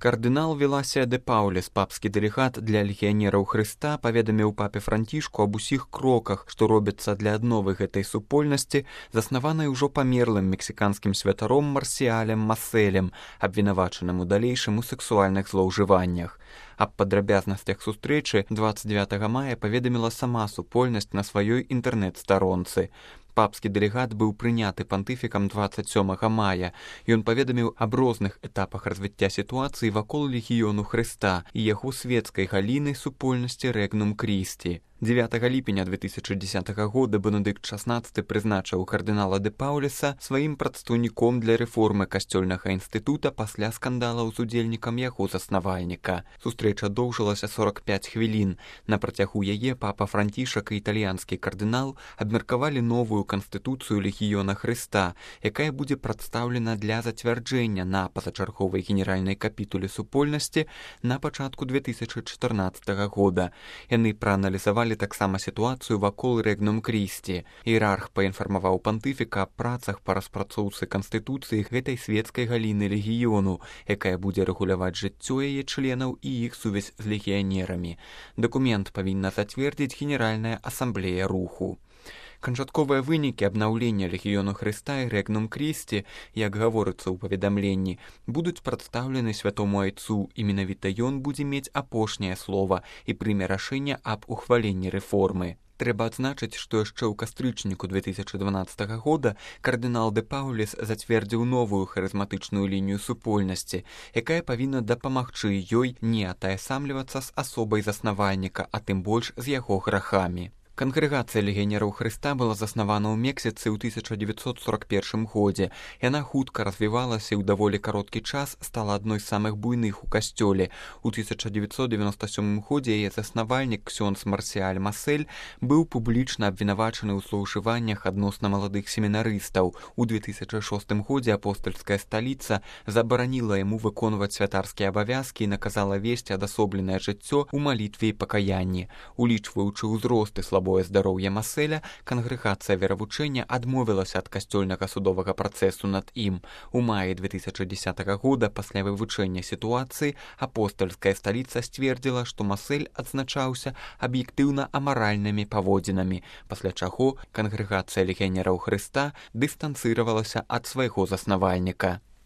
Кардынал Віласія де Пауліс, папскі дэлегат для легіянераў Хрыста, паведаміў папе Францішку аб усіх кроках, што робяцца для адновы гэтай супольнасці, заснаванай ужо памерлым мексіканскім святаром Марсіалем Маселем, абвінавачаным у далейшым у сэксуальных злоўжываннях. Аб падрабязнасцях сустрэчы 29 мая паведаміла сама супольнасць на сваёй інтэрнэт-старонцы. Папскі дэлегат быў прыняты пантыфікам 27 мая. Ён паведаміў аб розных этапах развіцця сітуацыі вакол легіёну Хрыста і яго свецкай галіны супольнасці Рэгнум Крісці. 9 ліпеня 2010 года Бенедыкт XVI прызначыў кардынала де Пауліса сваім прадстаўніком для рэформы касцёльнага інстытута пасля скандалаў з удзельнікам яго заснавальніка. Сустрэча доўжылася 45 хвілін. На працягу яе папа Францішак і італьянскі кардынал абмеркавалі новую канстытуцыю легіёна Хрыста, якая будзе прадстаўлена для зацвярджэння на пазачарговай генеральнай капітуле супольнасці на пачатку 2014 года. Яны прааналізавалі таксама сітуацыю вакол Рэгнум Крісці. Іерарх паінфармаваў пантыфіка аб працах па распрацоўцы канстытуцыі гэтай свецкай галіны легіёну, якая будзе рэгуляваць жыццё яе членаў і іх сувязь з легіянерамі. Дакумент павінна зацвердзіць Генеральная асамблея руху. Канчатковыя вынікі абнаўлення легіёну Хрыста і Рэгнум Крісці, як гаворыцца ў паведамленні, будуць прадстаўлены святому айцу, і менавіта ён будзе мець апошняе слова і прыме рашэнне аб ухваленні рэформы. Трэба адзначыць, што яшчэ ў кастрычніку 2012 года кардынал де Пауліс зацвердзіў новую харызматычную лінію супольнасці, якая павінна дапамагчы ёй не атаясамлівацца з асобай заснавальніка, а тым больш з яго грахамі. Кангрэгацыя легіянераў Хрыста была заснавана ў Мексіцы ў 1941 годзе. Яна хутка развівалася і ў даволі кароткі час стала адной з самых буйных у касцёле. У 1997 годзе яе заснавальнік ксёндз Марсіаль Масель быў публічна абвінавачаны ў злоўжываннях адносна маладых семінарыстаў. У 2006 годзе апостальская сталіца забараніла яму выконваць святарскія абавязкі і наказала весці адасобленае жыццё ў малітве і пакаянні. Улічваючы ўзрост і слабое здароўе Маселя, кангрэгацыя веравучэння адмовілася ад касцёльнага судовага працэсу над ім. У маі 2010 года пасля вывучэння сітуацыі апостальская сталіца сцвердзіла, што Масель адзначаўся аб'ектыўна амаральнымі паводзінамі, пасля чаго кангрэгацыя легіянераў Хрыста дыстанцыравалася ад свайго заснавальніка.